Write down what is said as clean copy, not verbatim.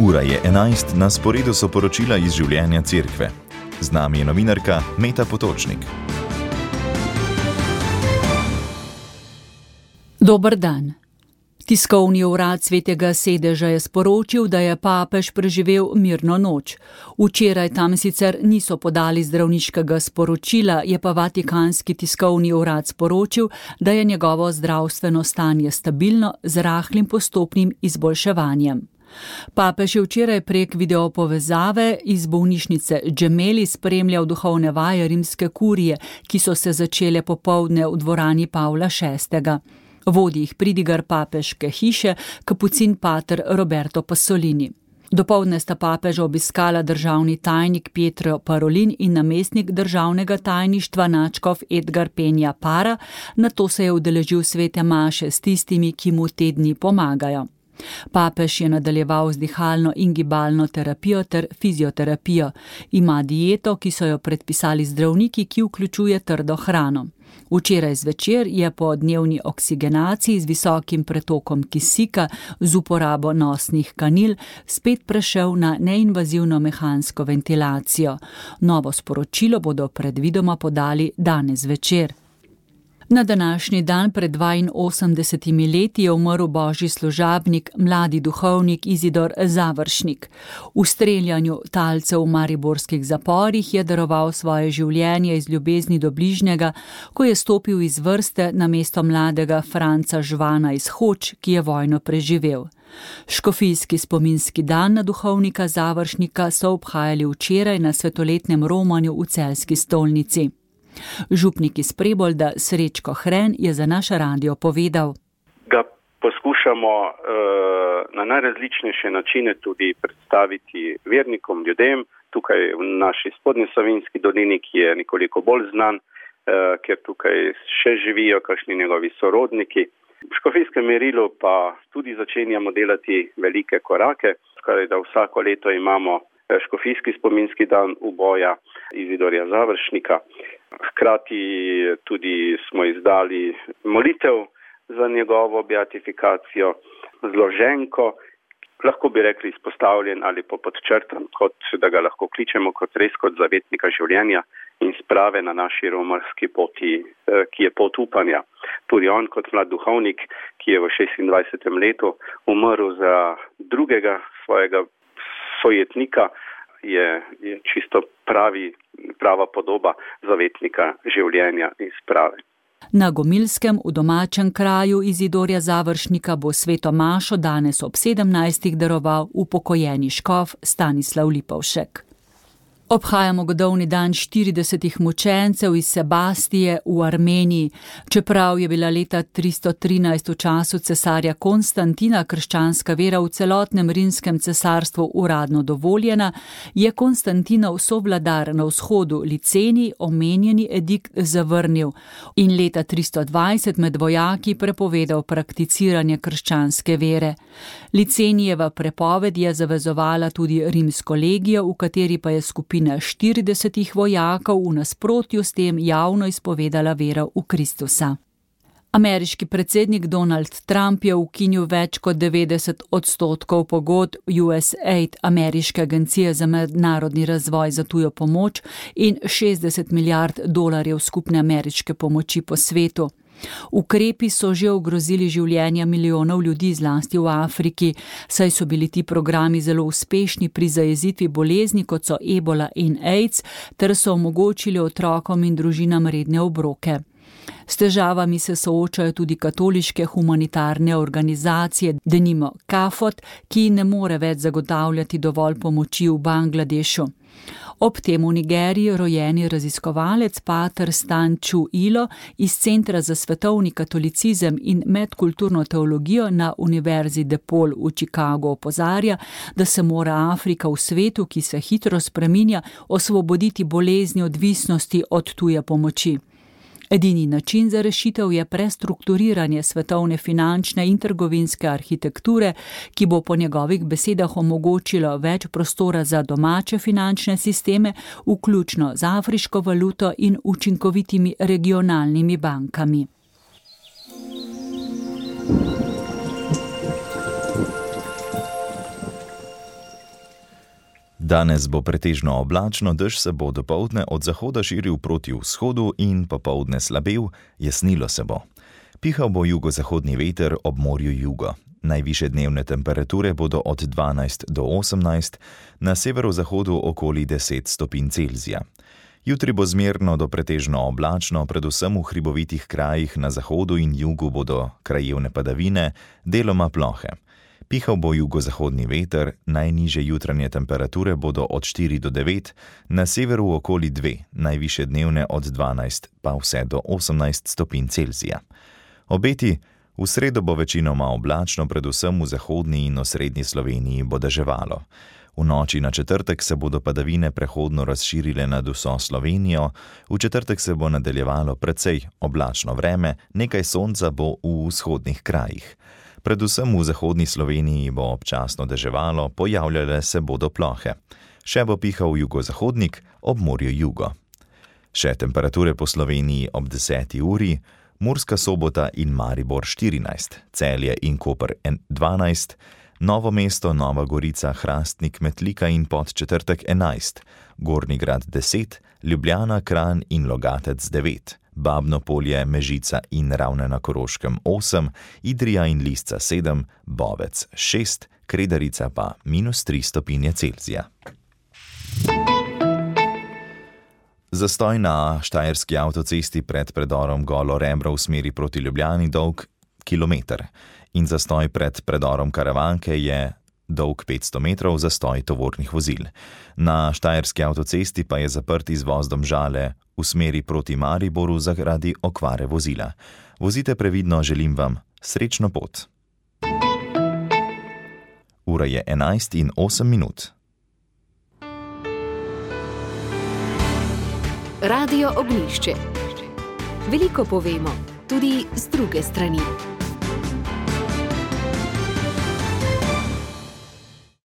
Ura je 11, na sporedu so poročila iz življenja cerkve. Z nami je novinarka Meta Potočnik. Dober dan. Tiskovni urad Svetega sedeža je sporočil, da je papež preživel mirno noč. Včeraj tam sicer niso podali zdravniškega sporočila, je pa Vatikanski tiskovni urad sporočil, da je njegovo zdravstveno stanje stabilno z rahlim postopnim izboljševanjem. Papež je včeraj prek videopovezave iz bolnišnice Gemelli spremljal duhovne vaje rimske kurije, ki so se začele popoldne v dvorani Pavla VI. Vodi jih pridigar papeške hiše, kapucin pater Roberto Pasolini. Dopoldne sta papeža obiskala državni tajnik Pietro Parolin in namestnik državnega tajništva nadškof Edgar Penja Para, nato se je udeležil svete maše s tistimi, ki mu te dni pomagajo. Papež je nadaljeval z dihalno in gibalno terapijo ter fizioterapijo. Ima dieto, ki so jo predpisali zdravniki, ki vključuje trdo hrano. Včeraj zvečer je po dnevni oksigenaciji z visokim pretokom kisika z uporabo nosnih kanil spet prešel na neinvazivno mehansko ventilacijo. Novo sporočilo bodo predvidoma podali danes zvečer. Na današnji dan pred 82 leti je umrl božji služabnik, mladi duhovnik Izidor Završnik. V streljanju talcev v mariborskih zaporih je daroval svoje življenje iz ljubezni do bližnjega, ko je stopil iz vrste namesto mladega Franca Žvana iz Hoč, ki je vojno preživel. Škofijski spominski dan na duhovnika Završnika so obhajali včeraj na svetoletnem romanju v Celjski stolnici. Župnik iz Prebolda Srečko Hren je za naš radio povedal. Ga poskušamo na najrazličnejše načine tudi predstaviti vernikom, ljudem, tukaj v naši spodnji Savinjski dolini, ki je nekoliko bolj znan, ker tukaj še živijo kakšni njegovi sorodniki. V škofijskem merilu pa tudi začenjamo delati velike korake, skoraj da vsako leto imamo škofijski spominski dan uboja Izidorja Završnika. Hkrati tudi smo izdali molitev za njegovo beatifikacijo, zloženko, lahko bi rekli izpostavljen ali pa podčrtan, kot da ga lahko kličemo res kot zavetnika življenja in sprave na naši romarski poti, ki je pot upanja. Tudi on kot mlad duhovnik, ki je v 26. letu umrl za drugega svojega sojetnika, je čisto prava podoba zavetnika življenja in sprave. Na Gomilskem v domačem kraju Izidorja Završnika bo sveto mašo danes ob 17. daroval upokojeni škof Stanislav Lipovšek. Obhajamo godovni dan 40 mučencev iz Sebastije v Armeniji. Čeprav je bila leta 313 v času cesarja Konstantina krščanska vera v celotnem rimskem cesarstvu uradno dovoljena, je Konstantinov sovladar na vzhodu Licenij omenjeni edikt zavrnil in leta 320 med vojaki prepovedal prakticiranje krščanske vere. Licenijeva prepoved je zavezovala tudi rimsko legijo, v kateri pa je skupina 40 vojakov v nasprotju s tem javno izpovedala vero v Kristusa. Ameriški predsednik Donald Trump je ukinil več kot 90% pogodb USAID, ameriške agencije za mednarodni razvoj za tujo pomoč, in $60 milijard skupne ameriške pomoči po svetu. Ukrepi so že ogrozili življenja milijonov ljudi, zlasti v Afriki, saj so bili ti programi zelo uspešni pri zajezitvi bolezni, kot so ebola in AIDS, ter so omogočili otrokom in družinam redne obroke. S težavami se soočajo tudi katoliške humanitarne organizacije, denimo CAFOT, ki ne more več zagotavljati dovolj pomoči v Bangladešu. Ob tem v Nigeriji rojeni raziskovalec pater Stan Chu Ilo iz Centra za svetovni katolicizem in medkulturno teologijo na Univerzi DePaul v Chicagu opozarja, da se mora Afrika v svetu, ki se hitro spreminja, osvoboditi bolezni odvisnosti od tuje pomoči. Edini način za rešitev je prestrukturiranje svetovne finančne in trgovinske arhitekture, ki bo po njegovih besedah omogočilo več prostora za domače finančne sisteme, vključno z afriško valuto in učinkovitimi regionalnimi bankami. Danes bo pretežno oblačno, dež se bo dopoldne od zahoda širil proti vzhodu in popoldne slabel, jasnilo se bo. Pihal bo jugozahodni veter ob morju jugo. Najvišje dnevne temperature bodo od 12 do 18, na severozahodu okoli 10 stopinj Celzija. Jutri bo zmerno do pretežno oblačno, predvsem v hribovitih krajih na zahodu in jugu bodo krajevne padavine, deloma plohe. Pihal bo jugozahodni veter, najnižje jutranje temperature bodo od 4 do 9, na severu okoli 2, najvišje dnevne od 12 pa vse do 18 stopinj Celzija. Obeti: v sredo bo večinoma oblačno, predvsem v zahodni in osrednji Sloveniji bo deževalo. V noči na četrtek se bodo padavine prehodno razširile nad vso Slovenijo, v četrtek se bo nadaljevalo precej oblačno vreme, nekaj sonca bo v vzhodnih krajih. Predvsem v zahodni Sloveniji bo občasno deževalo, pojavljale se bodo plohe. Še bo pihal jugozahodnik, ob morju jugo. Še temperature po Sloveniji ob 10. uri: Murska Sobota in Maribor 14, Celje in Koper 12, Novo mesto, Nova Gorica, Hrastnik, Metlika in Podčetrtek 11, Gornji Grad 10, Ljubljana, Kranj in Logatec 9, Babno Polje, Mežica in Ravne na Koroškem 8, Idrija in Lisca 7, Bovec 6, Kredarica pa -3 stopinje Celzija. Zastoj na štajerski avtocesti pred predorom Golo Rebro v smeri proti Ljubljani dolg kilometer in zastoj pred predorom Karavanke je dolg 500 metrov, zastoj tovornih vozil. Na štajerski avtocesti pa je zaprt izvoz Domžale v smeri proti Mariboru zaradi okvare vozila. Vozite previdno, želim vam srečno pot. Ura je 11:08. Radio Ognjišče. Veliko povemo, tudi z druge strani.